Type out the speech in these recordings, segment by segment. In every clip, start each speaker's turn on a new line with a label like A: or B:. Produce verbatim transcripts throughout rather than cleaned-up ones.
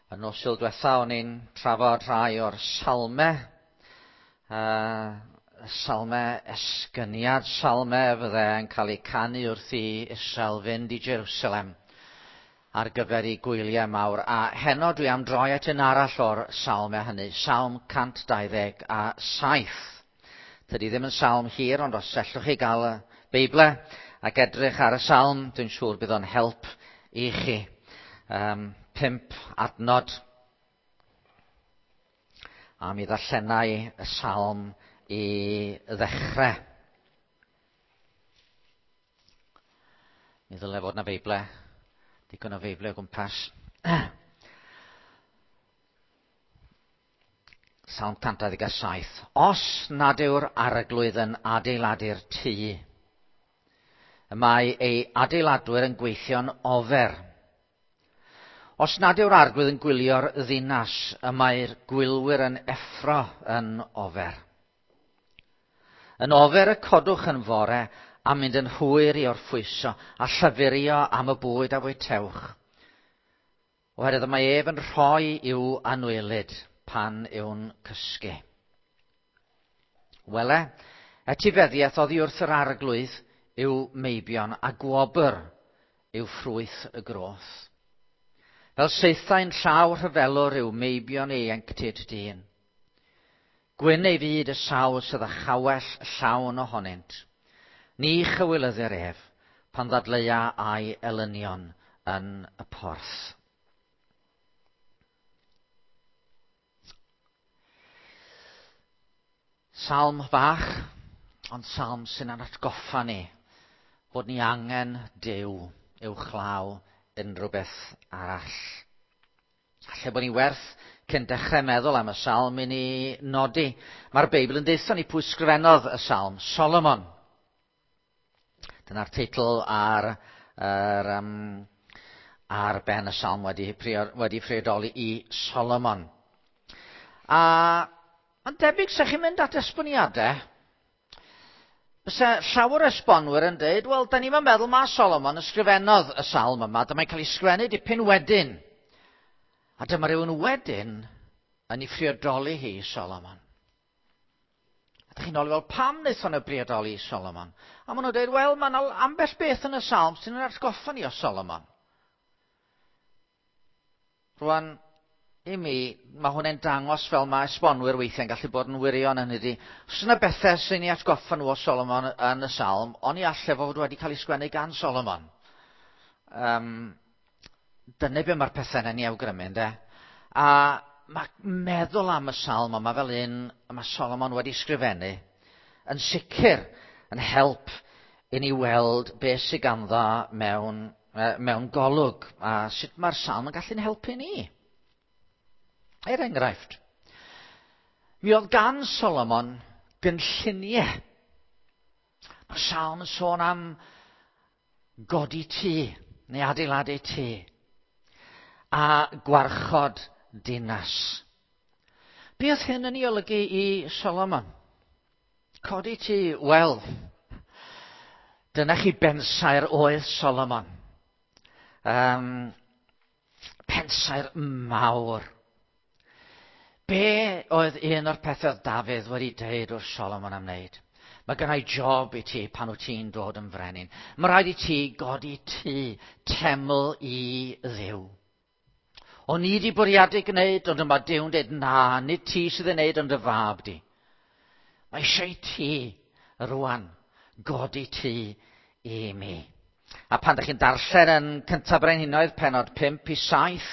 A: Y nos Sul diwetha o'n i'n trafod rhai o'r salme, uh, salme esgyniad, salme fydde yn cael eu canu wrth i Israel fynd i Jerusalem ar gyfer ei gwyliau mawr. A heno dwi am droi at un arall o'r salme hynny, Salm cant dau ddeg a saith. Tydi ddim yn salm hir, ond os ellwch chi gael y Beibl ac edrych ar y salm, dwi'n siŵr bydd o'n help i chi. Um, pump adnod. A mi ddarllenai y salm i ddechrau. Mi ddylai fod na Feible, digon o Feible o gwmpas. Salm cant dau ddeg a saith. Os nad yw'r arglwydd yn adeiladu'r tŷ, y mae ei adeiladwyr yn gweithio'n ofer. Os nad yw'r arglwydd yn gwylio'r ddinas, y mae'r gwylwyr yn effro yn ofer. Yn ofer y codwch yn fore a mynd yn hwyr i orffwyso a llyfurio am y bwyd a fwytewch. Oherwydd mae ef yn rhoi i'w anwylyd pan yw'n cysgu. Wele, etifeddiaeth oddi wrth yr arglwydd yw meibion a gwobr yw ffrwyth y groth. Fel saethau'n llaw rhyfelwr yw meibion ieuenctid dyn. Gwyn ei fyd y sawl sydd â chawell llawn ohonynt. Ni chywilyddir ef pan ddadleua a'i elynion yn y porth. Salm fach, ond salm sy'n atgoffa ni bod ni angen Duw uwchlaw unrhyw beth arall. Alle bod ni werth cyn dechrau meddwl am y salm i ni nodi. Mae'r Beibl yn deutha ni pwy sgrifennodd y salm, Solomon. Dyna'r teitl ar, ar, um, ar ben y salm wedi, wedi priodoli i Solomon. A mae'n debyg se chi'n mynd at esboniadau, byse llawer o esbonwyr yn dweud, wel, da ni'n meddwl ma Solomon ysgrifennodd y salm yma, dyma'n cael ei sgrifennu dipyn wedyn. A dyma rhywun wedyn yn ei phriodoli hi i Solomon. A dych chi'n ôl, wel, pam wnaethon nhw briodoli i Solomon? A maen nhw'n dweud, wel, mae yna ambell beth yn y salm sy'n yn atgoffa ni o Solomon. Rwan, i mi, mae hwnna'n dangos fel mae esbonwyr weithiau'n gallu bod yn wirion yn ydy. Os yna bethau sy'n ei atgoffa nhw o Solomon yn y salm, ond i allai fod wedi cael ei sgwennu gan Solomon. Um, dyna be mae'r pethau yna'n ei awgrymu, ynde? A mae meddwl am y salm yma fel un mae Solomon wedi sgrifennu yn sicr yn help i ni weld beth sydd ganddo mewn, mewn golwg a sut mae'r salm yn gallu'n helpu ni. Er enghraifft, mi oedd gan Solomon gynlluniau. Mae'r salm yn sôn am godi tŷ, neu adeiladu tŷ, a gwarchod dinas. Be oedd hyn yn ei olygu i Solomon? Codi tŷ, wel, dyna chi bensaer oedd Solomon. Um, pensaer mawr. Be oedd un o'r pethau oedd Dafydd wedi deud wrth Solomon am wneud? Mae gennai job i ti pan wyt ti'n dod yn frenin. Mae rhaid i ti godi tŷ, teml i Dduw. O'n i wedi bwriadu gwneud, ond yma Duw'n dweud, na, nid ti sydd yn gwneud, ond y fab di. Mae eisiau i ti rwan godi tŷ i mi. A pan ydych chi'n darllen yn Cyntaf Brenhinoedd, penod pump i saith,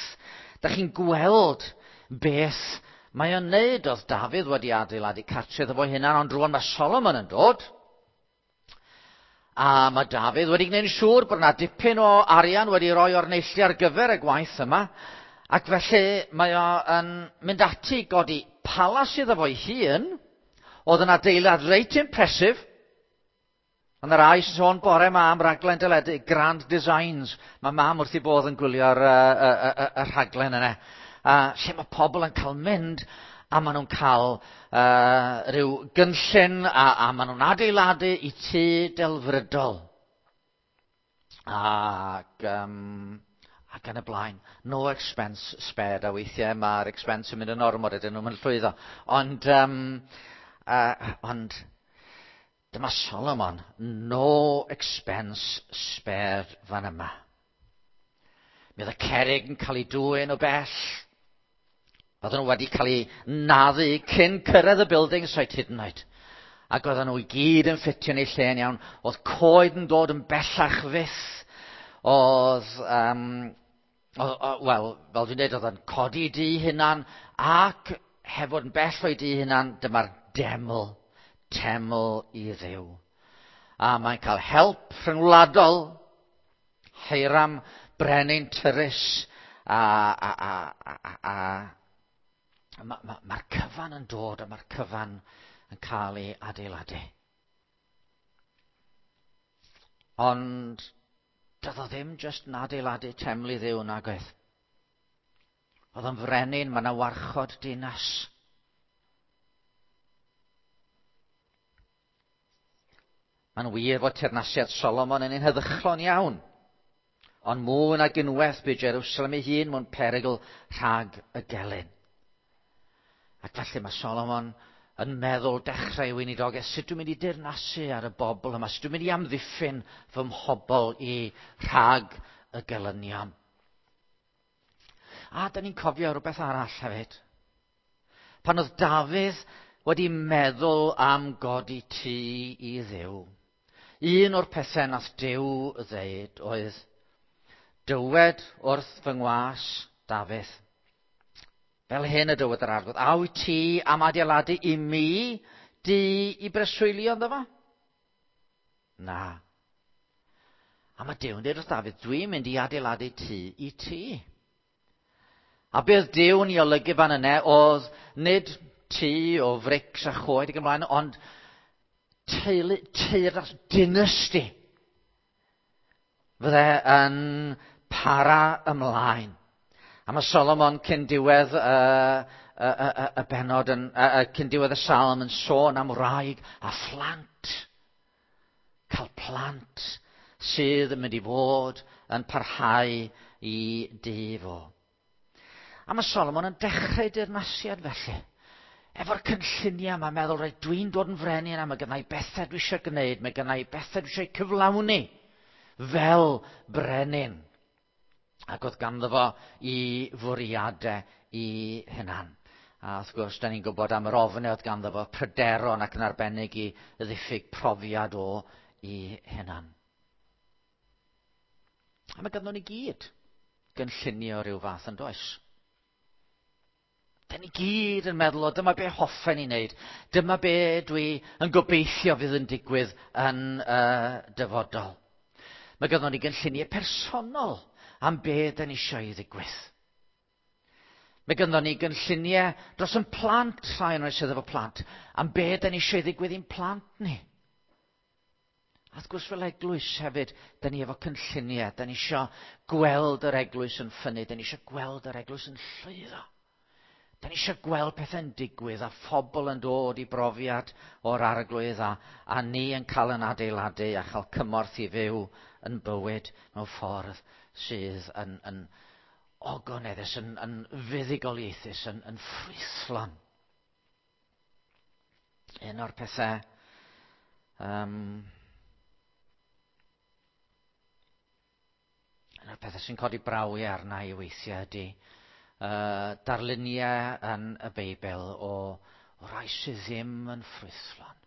A: ydych chi'n gweld beth mae o'n neud. Oedd Dafydd wedi adeiladu cartref iddo fo hunan, ond rwan mae Solomon yn dod. A mae Dafydd wedi gwneud yn siŵr bod yna dipyn o arian wedi roi o'r neilltu ar gyfer y gwaith yma. Ac felly mae o yn mynd ati godi palas iddo fo'i hun. Oedd yn adeilad reit impressive. Ond yr rai sy'n sôn bore ma am raglen deledu, Grand Designs. Mae mam wrth ei bodd yn gwylio'r y, y, y, y rhaglen yna. A lle mae pobl yn cael mynd a maen nhw'n cael uh, rhyw gynllun a, a maen nhw'n adeiladu i tŷ delfrydol. Ac um, Ac yn y blaen, no expense spared, a weithiau mae'r expense yn mynd yn ormod ydyn nhw'n llwyddo. Ond, um, uh, ond dyma Solomon, no expense spared fan yma. Mi oedd y cerrig yn cael ei dwyn o bell. Oedden nhw wedi cael eu naddu cyn cyrraedd y building site hyd yn oed. Ac oedden nhw i gyd yn ffitio yn eu lle'n iawn. Oedd coed yn dod yn bellach fyth. Oedd, um, wel, fel dwi'n dweud, oedd yn codi dŷ hunan ac heb fod yn bell o'i dŷ hunan, dyma'r deml, teml i Dduw. A mae'n cael help rhyngwladol, Hiram, brenin Tyrus, a, a, a, a, a, a mae'r ma, ma cyfan yn dod a mae'r cyfan yn cael ei adeiladu. Ond doedd o ddim jyst yn adeiladu teml i Dduw nag oedd. Oedd yn frenin, mae yna warchod dinas. Mae'n wir fod teyrnasiad Solomon yn un heddychlon iawn. Ond mwy nag unwaith bu Jerusalem ei hun mewn perygl rhag y gelyn. Ac felly mae Solomon yn meddwl dechrau weinidogaeth, sut dwi'n mynd i dirnasu ar y bobl yma, sut dwi'n mynd i amddiffyn fy mhobl i rhag y gelynion. A da ni'n cofio rhywbeth arall hefyd. Pan oedd Dafydd wedi meddwl am godi tŷ i Dduw, un o'r pethau nath Duw ddeud oedd, dywed wrth fy ngwas Dafydd, fel hyn y dywed yr Arglwydd, a wyt ti am adeiladu i mi dŷ i breswylio ynddo fo? Na. A mae Duw yn dweud wrth Dafydd, dwi'n mynd i adeiladu tŷ i ti. A beth Duw yn ei olygu fan yna oedd nid tŷ o frics a choed ac ymlaen, ond teulu, teyrnas, dynasty fydde yn para ymlaen. A mae Solomon cyn diwedd y, y, y, y benod, yn, y, cyn diwedd y salm yn sôn am wraig a phlant. Cael plant sydd yn mynd i fod yn parhau i dŷ fo. A mae Solomon yn dechrau dirnasiad felly. Efo'r cynlluniau yma, meddwl, reit, dwi'n dod yn frenin a mae gennai bethau dwi eisiau gwneud, mae gennai bethau dwi eisiau cyflawni fel brenin. Ac oedd ganddo fo i fwriadau i hunan. A wrth gwrs, da ni'n gwybod am yr ofnau oedd ganddo fo, pryderon ac yn arbennig i ddiffyg profiad o i hunan. A mae ganddo ni gyd gynllunio rhyw fath yn does. Da ni gyd yn meddwl, o dyma be hoffen i wneud, dyma be dwi yn gobeithio fydd yn digwydd yn uh, dyfodol. Mae ganddo ni gynlluniau personol am be da ni eisiau i ddigwydd. Mae ganddo ni gynlluniau dros yn plant, rhai o'n sydd efo plant, am be da ni eisiau i ddigwydd i'n plant ni. A wrth gwrs fel eglwys hefyd, da ni efo cynlluniau, da ni eisiau gweld yr eglwys yn ffynnu, da ni eisiau gweld yr eglwys yn llwyddo. Da ni eisiau gweld pethau'n digwydd a phobl yn dod i brofiad o'r Arglwydd a, a ni yn cael yn adeiladu a chael cymorth i fyw yn bywyd mewn ffordd sydd yn, yn ogoneddus, yn, yn fuddugoliaethus, yn, yn ffrwythlon. Un o'r pethau um, un o'r pethau sy'n codi braw i arna i weithiau ydy Uh, darluniau yn y Beibl o, o rai sydd ddim yn ffrwythlon.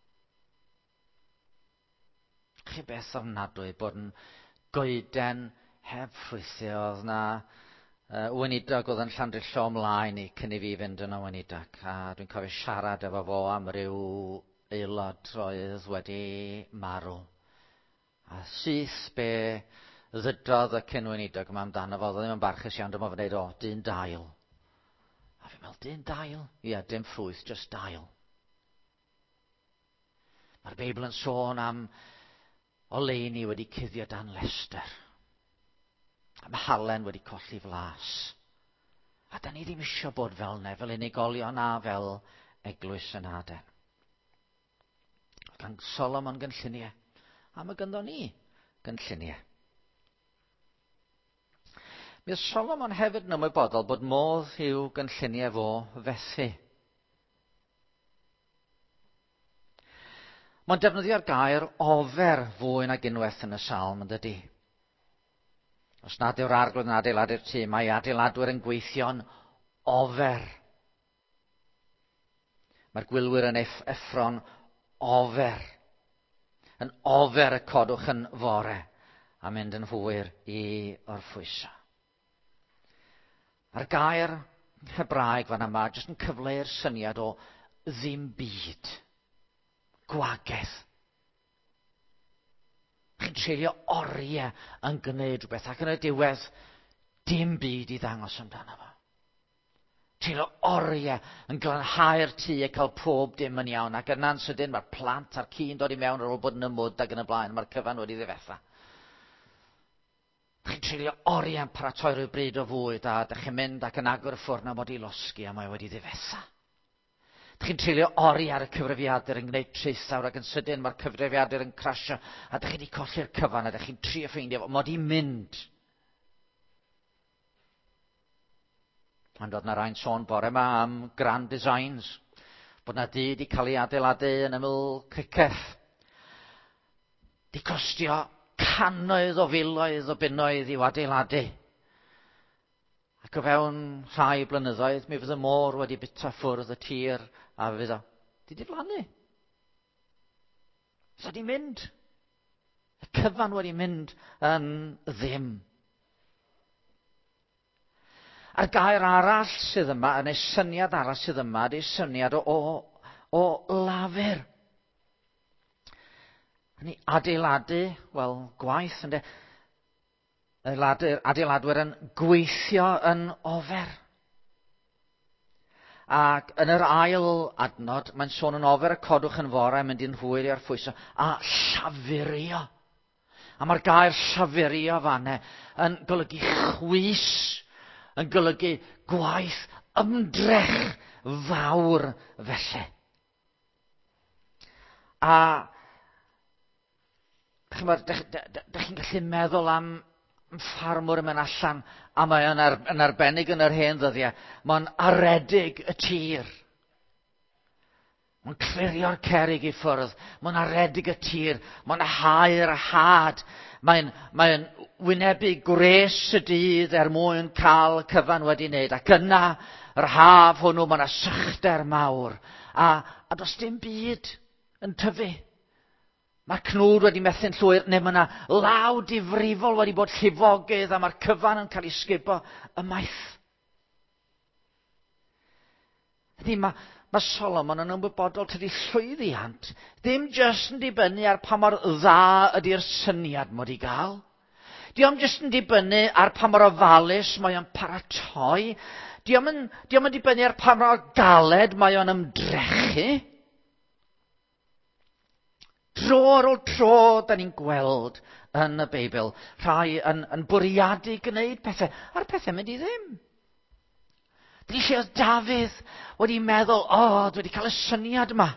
A: Chi beth ofnadwy bod yn goeden heb ffrwythau. Oedd na uh, weinidog oedd yn Llandrillo ymlaen i cyn i fi fynd yn y weinidog. A dwi'n cofio siarad efo fo am ryw aelod oedd wedi marw. A syth be ddydodd y cyn-weinidog yma amdano fo, oedd ddim yn barchus iawn, dyma fo'n dweud, o, dyn dail. A fi'n meddwl, dyn dail? Ie, dim ffrwyth, just dail. Mae'r Beibl yn sôn am oleuni wedi cuddio dan lester. Am halen wedi colli flas. A da ni ddim eisiau bod fel ne, fel unigolion a fel eglwys yn Aden. Gan Solomon gynlluniau, a mae ganddo ni gynlluniau. Mi oedd Solomon hefyd yn ymwybodol bod modd i'w gynlluniau fo fethu. Mae'n defnyddio'r gair ofer fwy nag unwaith yn y salm, yn dydy. Os nad yw'r arglwydd yn adeiladu'r tŷ, mae adeiladwyr yn gweithio'n ofer. Mae'r gwylwyr yn effro'n ofer. Yn ofer y codwch yn fore a mynd yn hwyr i orffwyso. Mae'r gair Hebraeg fan yma jyst yn cyfleu'r syniad o ddim byd. Gwagedd. Chi'n treulio oriau yn gwneud rhywbeth ac yn y diwedd dim byd i ddangos amdano fo. Treulio oriau yn glanhau'r tŷ a cael pob dim yn iawn, ac yna'n sydyn mae'r plant a'r ci'n dod i mewn ar ôl bod yn y mwd ac yn y blaen, mae'r cyfan wedi ddifetha. Chi'n treulio oriau yn paratoi rhyw bryd o fwyd a dych chi'n mynd ac yn agor y ffwrn a mod i losgi a mae wedi ddifetha. Dych chi'n treulio oriau ar y cyfrifiadur yn gwneud traethawr ac yn sydyn mae'r cyfrifiadur yn crasio a dych chi wedi colli'r cyfan a dych chi'n trio ffeindio fo, mod i'n mynd. Ond oedd na rai'n sôn bore yma am Grand Designs, bod na dŷ wedi cael ei adeiladu yn ymyl Criceth. Di costio cannoedd o filoedd o bunnoedd i'w adeiladu. Ac o fewn rhai blynyddoedd, mi fydd y môr wedi bita ffwrdd y tir a fydd o di diflannu. Fydd o di mynd. Y cyfan wedi mynd yn ddim. A'r gair arall sydd yma, neu syniad arall sydd yma, ydy syniad o, o, o lafur. Ni adeiladu, wel, gwaith, ynde? Adeiladu, adeiladwyr yn gweithio yn ofer. Ac yn yr ail adnod, mae'n sôn yn ofer y codwch yn fore, mynd i'n hwyr i arffwyso, a llafurio. A mae'r gair llafurio fanne yn golygu chwys, yn golygu gwaith ymdrech fawr felly. A chymod, dych chi'n gallu meddwl am ffarmwr yn mynd allan, a mae yn, ar, yn arbennig yn yr hen ddyddiau, mae'n aredig y tir. Mae'n clirio'r cerrig i ffwrdd, mae'n aredig y tir, mae'n hau'r had, mae'n, mae'n wynebu gwres y dydd er mwyn cael cyfan wedi wneud, ac yna, yr haf hwnnw, mae yna sychder mawr, a, a does dim byd yn tyfu. Mae'r cnwd wedi methu'n llwyr, neu mae yna law difrifol wedi bod llifogydd a mae'r cyfan yn cael ei sgubo ymaith. Ydy, mae, mae Solomon yn ymwybodol tydi llwyddiant ddim jyst yn dibynnu ar pa mor dda ydy'r syniad mod i gael. Dio'm jyst yn dibynnu ar pa mor ofalus mae o'n paratoi. Dio'm yn, dio'm yn dibynnu ar pa mor galed mae o'n ymdrechu. Dro ar ôl tro, da ni'n gweld yn y Beibl, rhai yn, yn bwriadu gwneud pethau, a'r pethau mynd i ddim. Dyna lle oedd Dafydd wedi meddwl, o, oh, dwi wedi cael y syniad yma.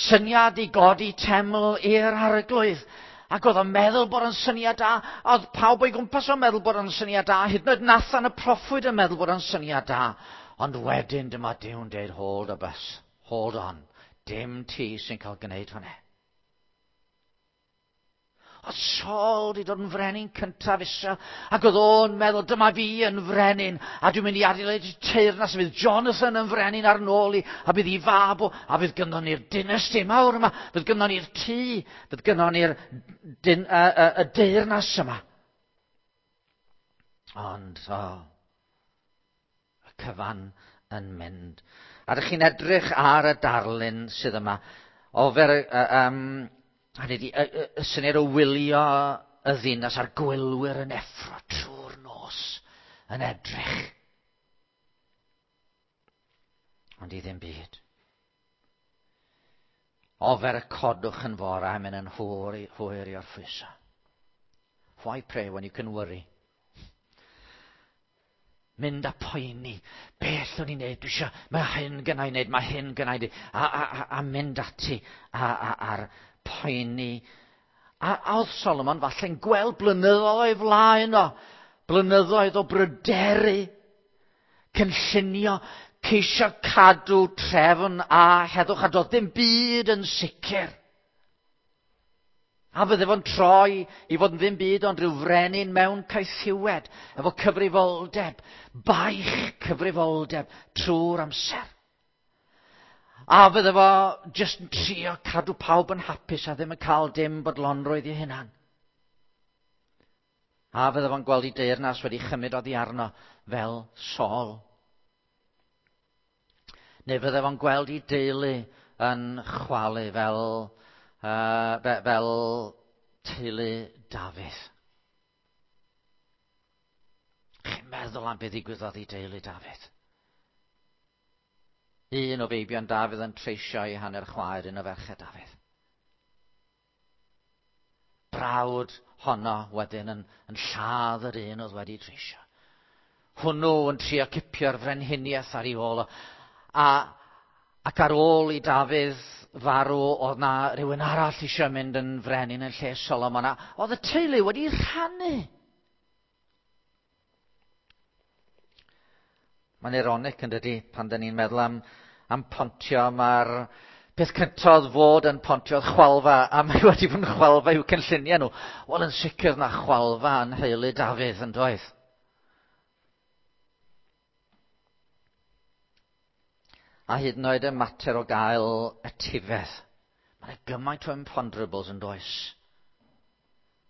A: Syniad i godi teml i'r arglwydd. Ac oedd o'n meddwl bod o'n syniad da, a oedd pawb o'i gwmpas o'n meddwl bod o'n syniad da, hyd yn oed Nathan y proffwyd yn meddwl bod o'n syniad da. Ond wedyn dyma Duw'n deud, hold a bus, hold on, dim ti sy'n cael gwneud hwnna. Oedd Saul wedi dod yn frenin cyntaf Israel, ac oedd o'n meddwl, dyma fi yn frenin, a dwi'n mynd i adeiladu teyrnas, a fydd Jonathan yn frenin ar nôl i, a bydd i fab o, a fydd gynnon ni'r dynasty mawr yma, fydd gynnon ni'r tŷ, fydd gynnon ni'r dyn, y, y, y deyrnas yma. Ond, o, y cyfan yn mynd. A ydych chi'n edrych ar y darlun sydd yma, ofer, um, hynny ydi, y, y, y syniad o wylio y ddinas a'r gwylwyr yn effro trwy'r nos yn edrych. Ond i ddim byd. Ofer y codwch yn fore a mynd yn hwyr i, hwyr i orffwyso. Why pray when you can worry? Mynd a poeni. Beth o'n i'n neud? Dwi eisiau, mae hyn gynna i neud, mae hyn gynna i neud. A, a, a, a mynd ati a, a, a'r poeni. A, a oedd Solomon falle'n gweld blynyddoedd o'i flaen o. Blynyddoedd o bryderu, cynllunio, ceisio cadw trefn a heddwch, a doedd dim byd yn sicr. A fydde fo'n troi i fod yn ddim byd ond rhyw frenin mewn caethiwed, efo cyfrifoldeb, baich cyfrifoldeb trwy'r amser. A fydde fo jyst yn trio cadw pawb yn hapus a ddim yn cael dim bodlonrwydd i hunan. A fydde fo'n gweld ei deyrnas wedi chymryd oddi arno fel Saul. Neu fydde fo'n gweld ei deulu yn chwalu fel, uh, fel teulu Dafydd. Chi'n meddwl am beth ddigwyddodd i deulu Dafydd? Un o feibion Dafydd yn treisio ei hanner chwaer, un o ferched Dafydd. Brawd honno wedyn yn, yn lladd yr un oedd wedi treisio. Hwnnw yn trio cipio'r frenhiniaeth ar ei ôl o. A, ac ar ôl i Dafydd farw, oedd na rhywun arall eisiau mynd yn frenin yn lle Solomon. A oedd y teulu wedi rhannu. Mae'n ironic yn dydi, pan dyn ni'n meddwl am, am pontio, mae'r peth cyntaf oedd fod yn pontio oedd chwalfa, a mae wedi bod yn chwalfa i'w cynlluniau nhw. Wel, yn sicr na chwalfa yn nheulu Dafydd yn doedd. A hyd yn oed y mater o gael etifedd. Mae'n gymaint o imponderables yn does.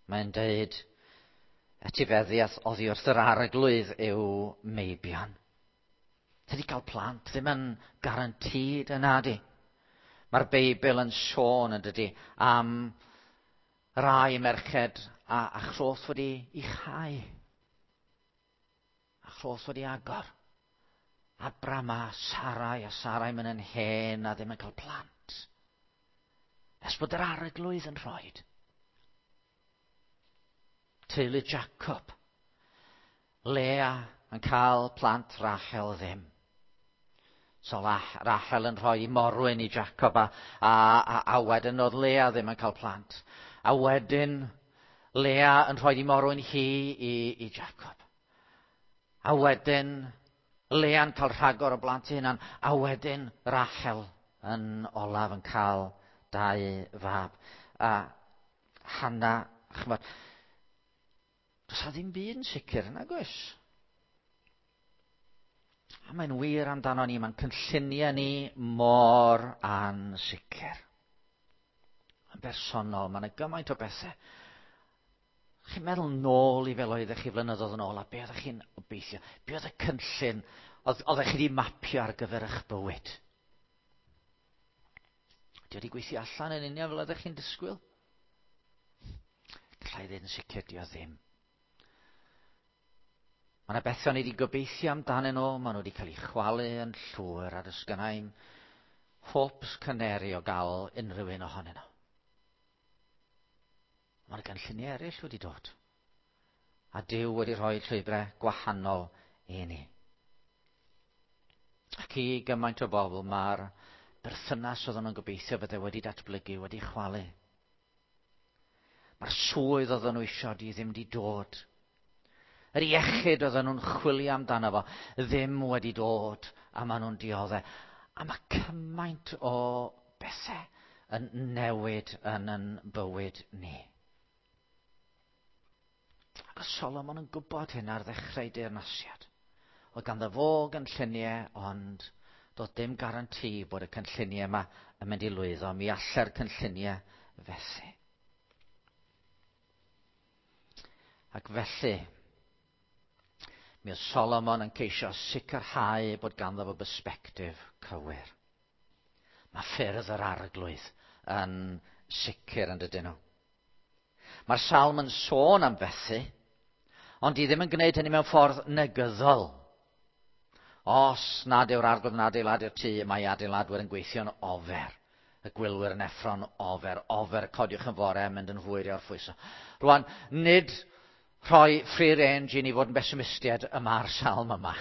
A: Mae'n deud etifeddiaeth oddi wrth yr arglwydd yw meibion. Tydi cael plant ddim yn garantid yna di. Mae'r Beibl yn sôn yn dydi am rai merched a, a chroth wedi ei chau. A chroth wedi agor. Abram a Sarai, a Sarai mynd yn hen a ddim yn cael plant. Nes bod yr arglwydd yn rhoid. Teulu Jacob. Lea yn cael plant, Rachel ddim. So Rachel yn rhoi morwyn i Jacob a, a, a, a wedyn oedd Lea ddim yn cael plant. A wedyn Lea yn rhoi i morwyn hi i, i Jacob. A wedyn Lea'n cael rhagor o blant ei hunan. A wedyn Rachel yn olaf yn cael dau fab. A Hannah, chymod, does a ddim byd yn sicr, nag oes? A mae'n wir amdano ni, mae'n cynlluniau ni mor ansicr. Yn bersonol, mae'n gymaint o bethau. Chi'n meddwl nôl i fel oeddech chi flynyddoedd yn ôl, a be oeddech chi'n obeithio? Be oedd y cynllun oedd, oeddech chi wedi mapio ar gyfer eich bywyd? Di wedi gweithio allan yn union fel oeddech chi'n disgwyl? Gallai ddweud yn sicr, di o ddim. Mae yna bethau ni wedi gobeithio amdanyn nhw, maen nhw wedi cael eu chwalu yn llwyr, a does gynna i'm hopes caneri o gael unrhyw un ohonyn nhw. Mae'r gynlluniau eraill wedi dod. A Duw wedi rhoi llwybrau gwahanol i ni. Ac i gymaint o bobl, mae'r berthynas oedden nhw'n gobeithio fydde wedi datblygu, wedi chwalu. Mae'r swydd oedden nhw eisiau di ddim wedi dod. Yr iechyd oedden nhw'n chwilio amdano fo ddim wedi dod, a maen nhw'n dioddef. A mae cymaint o bethau yn newid yn yn bywyd ni. Ac oedd Solomon yn gwybod hyn ar ddechrau deyrnasiad. Oedd ganddo fo gynlluniau, ond doedd dim garanti bod y cynlluniau yma yn mynd i lwyddo. Mi allai'r cynlluniau fethu. Ac felly, mi oedd Solomon yn ceisio sicrhau bod ganddo fo bersbectif cywir. Mae ffyrdd yr arglwydd yn sicr yn dydyn nhw. Mae'r salm yn sôn am fethu, ond di ddim yn gwneud hynny mewn ffordd negyddol. Os nad yw'r arglwydd yn adeiladu'r tŷ, mae adeiladwyr yn gweithio'n ofer. Y gwylwyr yn effro'n ofer. Ofer, codiwch yn fore, mynd yn hwyr i orffwyso. Rwan, nid rhoi free range i ni fod yn bessimistiaid y mae'r salm yma.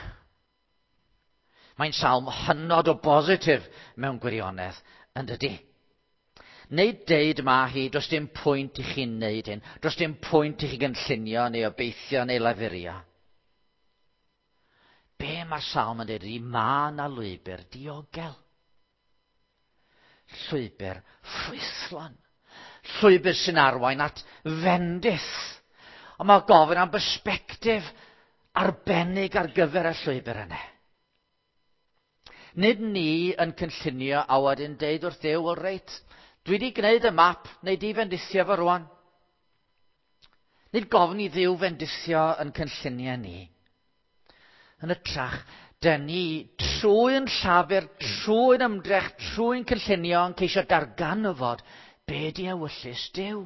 A: Mae'n salm hynod o bositif mewn gwirionedd, yn dydi? Neu deud ma hi, does dim pwynt i chi wneud hyn, does dim pwynt i chi gynllunio neu obeithio neu lafurio. Be mae'r salm yn dweud ydy, mae 'na lwybr diogel. Llwybr ffrwythlon. Llwybr sy'n arwain at fendith. Ond mae gofyn am bersbectif arbennig ar gyfer y llwybr yna. Nid ni yn cynllunio a wedyn deud wrth Dduw, wel reit, dwi wedi gwneud y map, neu di fendithio fo rwan. Nid gofyn i Dduw fendithio yn cynlluniau ni. Yn hytrach, dyn ni trwy'n llafur, trwy'n ymdrech, trwy'n cynllunio yn ceisio darganfod be di ewyllys Duw.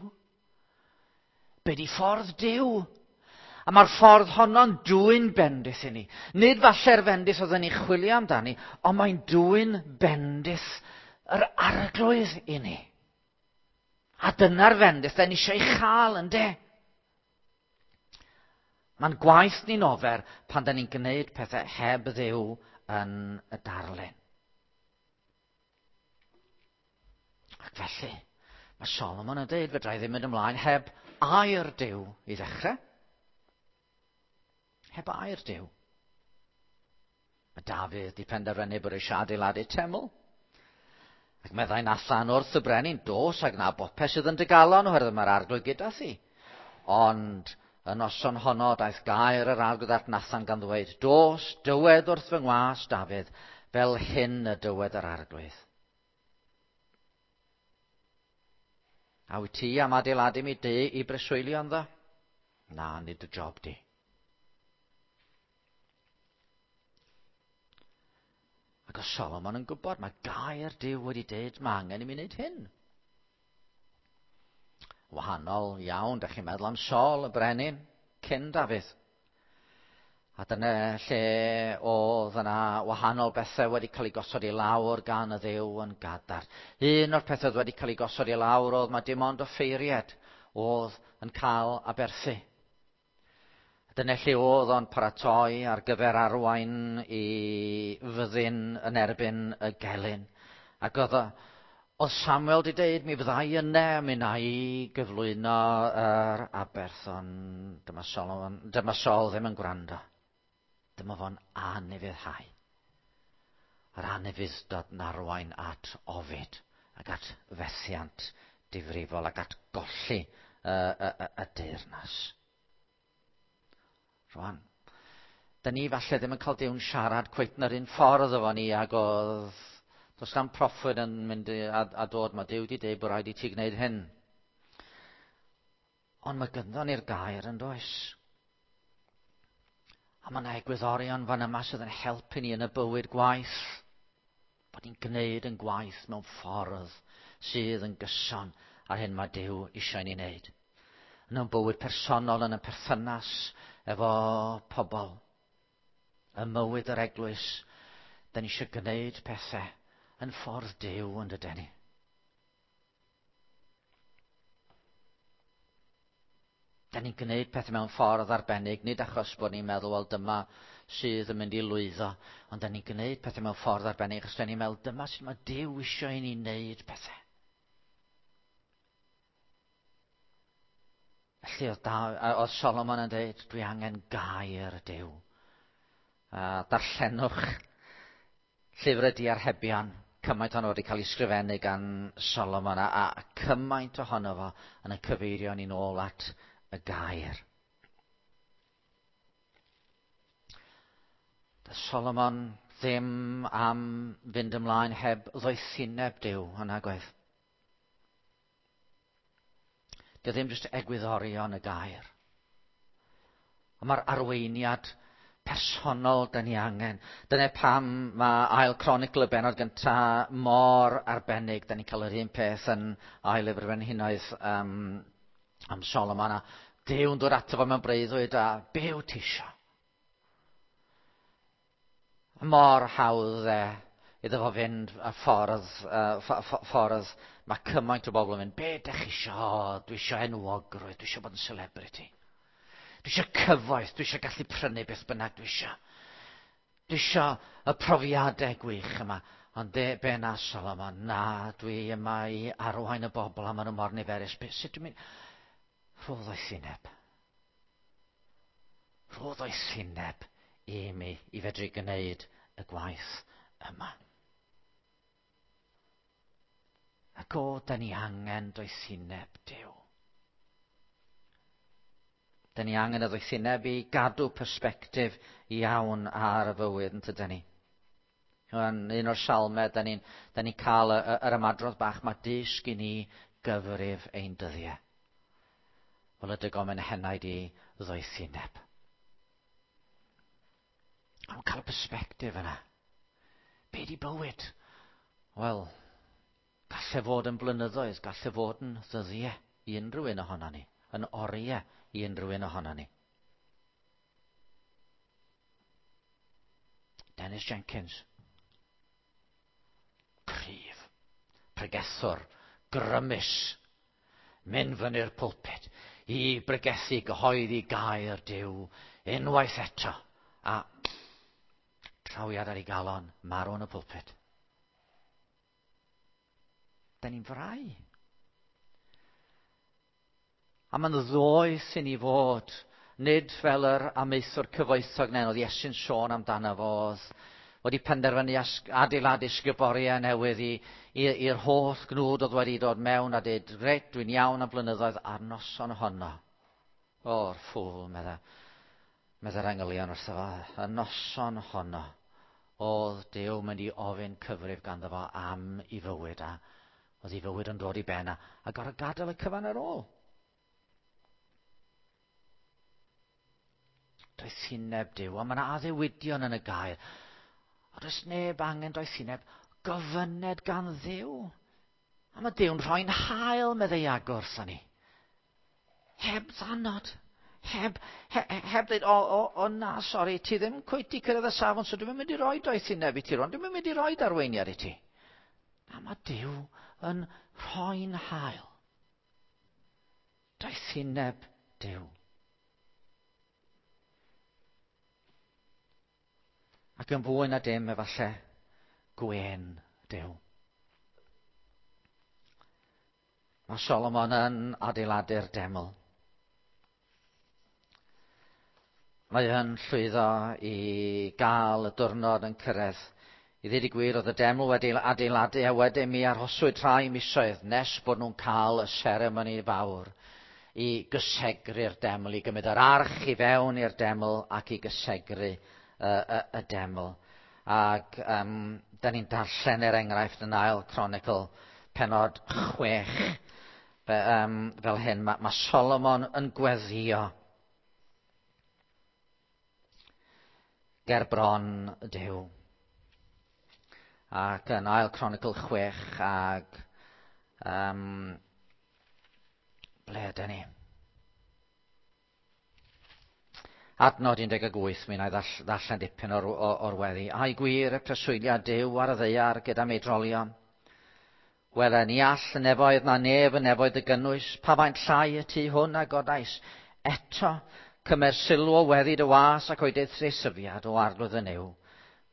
A: Be di ffordd Duw. A mae'r ffordd honno'n dwyn bendith i ni. Nid falle'r fendith oedden ni chwilio amdani, ond mae'n dwyn bendith yr Arglwydd i ni. A dyna'r fendith da ni eisiau ei chael, ynde? Mae'n gwaith ni'n ofer pan da ni'n gwneud pethau heb Dduw yn y darlun. Ac felly, mae Solomon yn dweud, fedra i ddim mynd ymlaen heb air Duw i ddechrau. Heb air Duw. Mae Dafydd di penderfynu bod eisiau adeiladu teml. Ac meddai Nathan wrth y brenin, dos ac na bopeth sydd yn dy galon, oherwydd mae'r Arglwydd gyda thi. Ond y noson honno daeth gair yr Arglwydd at Nathan gan ddweud, dos, dywed wrth fy ngwas Dafydd, fel hyn y dywed yr Arglwydd. A wyt ti am adeiladu mi dŷ i breswylio ynddo? Na, nid y job di. Ac oedd Solomon yn gwybod, mae gair Duw wedi dweud, mae angen i mi wneud hyn. Wahanol iawn, da chi'n meddwl am Saul, y brenin, cyn Dafydd. A dyna lle oedd yna wahanol bethau wedi cael eu gosod i lawr gan y Dduw yn gadarn. Un o'r pethau oedd wedi cael eu gosod i lawr oedd mae dim ond offeiriad oedd yn cael aberthu. Dyna lle oedd o'n paratoi ar gyfer arwain i fyddin yn erbyn y gelyn. Ac oedd, oedd Samuel wedi dweud, mi fyddai yna, mi wna i gyflwyno yr aberth, ond dyma Solomon, dyma Saul ddim yn gwrando. Dyma fo'n anufuddhau. Yr anufudd-dod yn arwain at ofid ac at fethiant difrifol ac at golli y, y, y, y deyrnas. Rwan, da ni falle ddim yn cael Duw'n siarad cweit yn yr un ffordd efo ni ag oedd, does na'm proffwyd yn mynd a, a dod, mae Duw wedi dweud bod rhaid i ti gwneud hyn. Ond mae gynddon ni'r gair yn does. A mae yna egwyddorion fan yma sydd yn helpu ni yn y bywyd gwaith. Bod ni'n gwneud yn gwaith mewn ffordd sydd yn gyson ar hyn mae Duw eisiau ni wneud. Yn ein bywyd personol, yn y perthynas efo pobl. Ym mywyd yr eglwys, da ni eisiau gwneud pethau yn ffordd Duw yn dydyn ni. Da ni'n gwneud pethau mewn ffordd arbennig, nid achos bod ni'n meddwl, wel dyma sydd yn mynd i lwyddo, ond da ni'n gwneud pethau mewn ffordd arbennig achos da ni'n meddwl, dyma sydd mae Duw eisiau i ni wneud pethau. Felly oedd, da, oedd Solomon yn dweud, dwi angen gair Duw. A darllenwch llyfr y Diarhebion, cymaint ohono wedi cael ei sgrifennu gan Solomon, a, a cymaint ohono fo yn y cyfeirio ni'n ôl at y gair. Doedd Solomon ddim am fynd ymlaen heb ddoethineb Duw, yn agwedd. Dio ddim jyst egwyddorion y gair. Ond mae'r arweiniad personol da ni angen. Dyna pam mae Ail Cronicl y bennod gyntaf mor arbennig. Da ni'n cael yr un peth yn Ail Lyfr Frenhinoedd um, am Solomon. A Duw'n dod ato fo mewn breuddwyd a be wyt ti isio? Mor hawdd e iddo fo fynd y ffordd, uh, ffordd mae cymaint o bobl yn mynd, be dych chi isio? Dwi isio enwogrwydd, dwi isio bod yn celebrity. Dwi isio cyfoeth, dwi isio gallu prynu beth bynnag dwi isio. Dwi isio y profiadau gwych yma. Ond de, be na Solomon, na, dwi yma i arwain y bobl a maen nhw mor niferus. Be, sut dwi'n mynd? Rho ddoethineb. Rho ddoethineb i mi i fedru gwneud y gwaith yma. Ac o, da ni angen doethineb Duw. Da ni angen y ddoethineb i gadw persbectif iawn ar y fywyd, yn tydan ni? Yn un o'r salmau, da ni'n da ni cael y, y, yr ymadrodd bach, mae dysg i ni gyfrif ein dyddiau. Fel y dygom yn henaid i ddoethineb. Ond cael y persbectif yna. Be di bywyd? Wel, gallai fod yn blynyddoedd, gallai fod yn ddyddiau i unrhyw un ohono ni, yn oriau i unrhyw un ohono ni. Dennis Jenkins. Cryf, pregethwr, grymus, mynd fyny'r pulpit i bregethu gyhoeddi gair Duw unwaith eto, a trawiad ar ei galon, marw yn y pulpit. Da ni'n frau. A mae'n ddoeth i ni fod, nid fel yr amaethwr cyfoethog nen oedd Iesu'n sôn amdano fo, oedd wedi penderfynu adeiladu sguboriau newydd i'r holl gnwd oedd wedi dod mewn a dweud, reit, dwi'n iawn am blynyddoedd, a'r noson honno. O'r ffŵl, medda, medda'r angylion wrtho fo, y noson honno, oedd Duw mynd i ofyn cyfrif ganddo fo am ei fywyd, a oedd ei fywyd yn dod i ben a, a gorfod gadael y cyfan ar ôl. Doethineb Duw, a mae yna addewidion yn y gair. A does neb angen doethineb, gofyned gan Dduw. A mae Duw'n rhoi'n hael, meddai Iago wrthon ni. Heb ddanod. Heb, he, heb dweud, o, o, o na, sori, ti ddim cweit i cyrraedd y safon, so dwi'm yn mynd i roi doethineb i ti rwan, dwi'm yn mynd i roi arweiniad i ti. Na, mae Duw yn rhoi'n hael. Doethineb Duw. Ac yn fwy na dim, efallai, gwên Duw. Mae Solomon yn adeiladu'r deml. Mae yn llwyddo i gael y diwrnod yn cyrraedd. I ddweud y gwir, oedd y deml wedi adeiladu a wedyn mi arhoswyd rhai misoedd nes bod nhw'n cael y seremoni fawr i gysegru'r deml, i gymryd yr arch i fewn i'r deml ac i gysegru y, y, y deml. Ac um, da ni'n darllen er enghraifft yn ail Cronicl penod chwech. Fe, um, fel hyn, mae, mae Solomon yn gweddio ger bron Duw. Ac yn ail Cronicl chwech ag um, ble ydyn ni? Adnod un deg wyth, mi wna i ddarllen dipyn o'r, o'r weddi. Ai gwir y preswyliad Duw ar y ddaear gyda meidrolion? Wele, ni all y nefoedd na nef y nefoedd y gynnwys, pa faint llai y tŷ hwn a godais. Eto, cymer sylw o weddi dy was ac o'i deisyfiad o arglwydd y Nuw.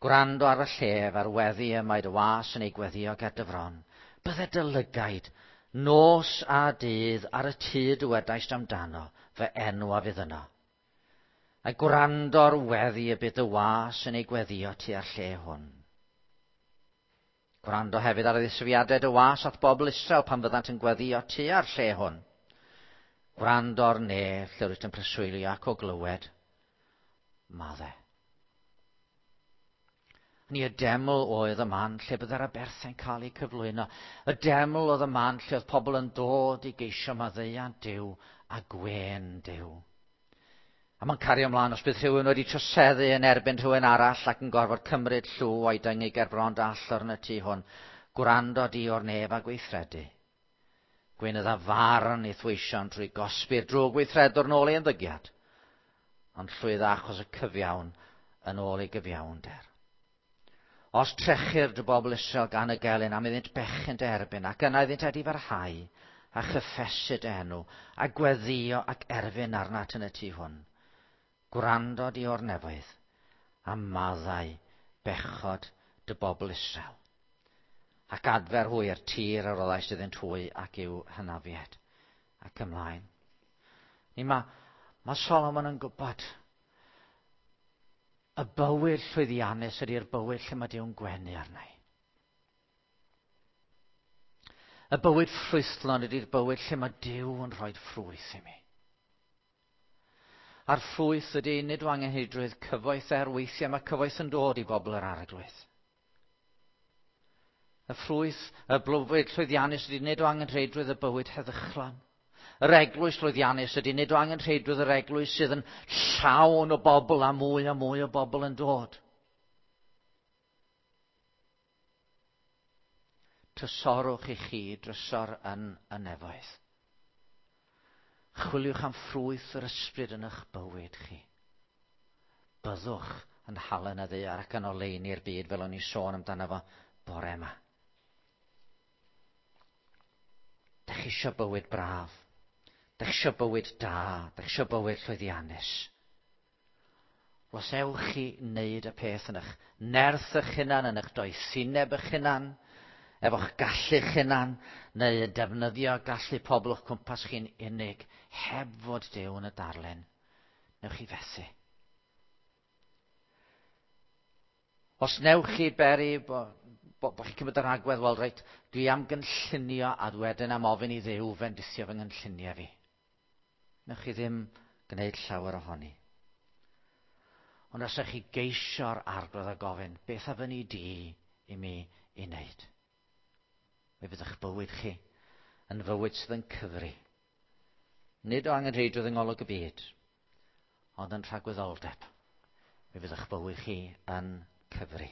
A: Gwrando ar y llef a'r weddi y mae dy was yn ei gweddio ger dy fron. Bydde dy lygaid, nos a dydd ar y tŷ dywedaist amdano, fy enw a fydd yno. A gwrando'r weddi y bydd dy was yn ei gweddio tua'r lle hwn. Gwrando hefyd ar y ddisgrifiadau dy was at bobl Israel pan fyddant yn gweddio tua'r lle hwn. Gwrando'r nef lle rwyt yn preswylio ac o glywed, madde. Ni y deml oedd y man lle byddai'r aberthau'n cael eu cyflwyno. Y deml oedd y man lle oedd pobl yn dod i geisio maddeuant Duw a gwên Duw. A mae'n cario ymlaen os bydd rhywun wedi troseddu yn erbyn rhywun arall ac yn gorfod cymryd llw o'i dyngu ger bron dy allor yn y tŷ hwn, gwrando di o'r nef a gweithredu. Gweinydda farn i'th weision trwy gosbi'r drwg weithredwr nôl ei ymddygiad, ond llwydda achos y cyfiawn yn ôl ei gyfiawnder. Os trechir dy bobl Israel gan y gelyn am iddynt bechu'n dy erbyn, ac yna iddynt edifarhau, a chyffesu dy enw, a gweddio ac erfyn arnat yn y tŷ hwn, gwrando di o'r nefoedd, a maddau bechod dy bobl Israel, ac adfer hwy i'r tir a roddaist iddynt hwy ac i'w hynafiad. Ac ymlaen. Ni mae, mae Solomon yn gwybod Y bywyd llwyddiannus ydy'r bywyd lle mae Duw'n gwenu arna i. Y bywyd ffrwythlon ydy'r bywyd lle mae Duw yn rhoi ffrwyth i mi. A'r ffrwyth ydy nid o angenrheidrwydd cyfoeth, er weithiau mae cyfoeth yn dod i bobl yr Arglwydd. Y ffrwyth, y bywyd llwyddiannus ydy nid o angenrheidrwydd y bywyd heddychlon. Yr eglwys llwyddiannus ydy nid o angenrheidrwydd yr eglwys sydd yn llawn o bobl a mwy a mwy o bobl yn dod. Trysorwch i chi drysor yn y nefoedd. Chwiliwch am ffrwyth yr ysbryd yn eich bywyd chi. Byddwch yn halen y ddaear ac yn oleuni'r byd, fel o'n i sôn amdano fo bore yma. Dych chi eisiau bywyd braf. Dych chi eisiau bywyd da. Dych chi eisiau bywyd llwyddiannus. Os ewch chi wneud y peth yn eich nerth eich hunan, yn eich doethineb eich hunan, efo'ch gallu'ch hunan, neu yn defnyddio gallu pobl o'ch cwmpas chi'n unig, heb fod Duw yn y darlun, newch chi fethu. Os newch chi beri bo, bo, bo chi'n cymryd yr agwedd, wel reit, dwi am gynllunio a wedyn am ofyn i Dduw fendithio fy nghynlluniau fi. Newch chi ddim gwneud llawer ohoni. Ond os ydych chi geisio'r Arglwydd a gofyn, beth a fyny di i mi i wneud? Mi fydd eich bywyd chi yn fywyd sydd yn cyfri. Nid o angenrheidrwydd yng ngolwg y byd, ond yn rhagwyddoldeb. Mi fydd eich bywyd chi yn cyfri.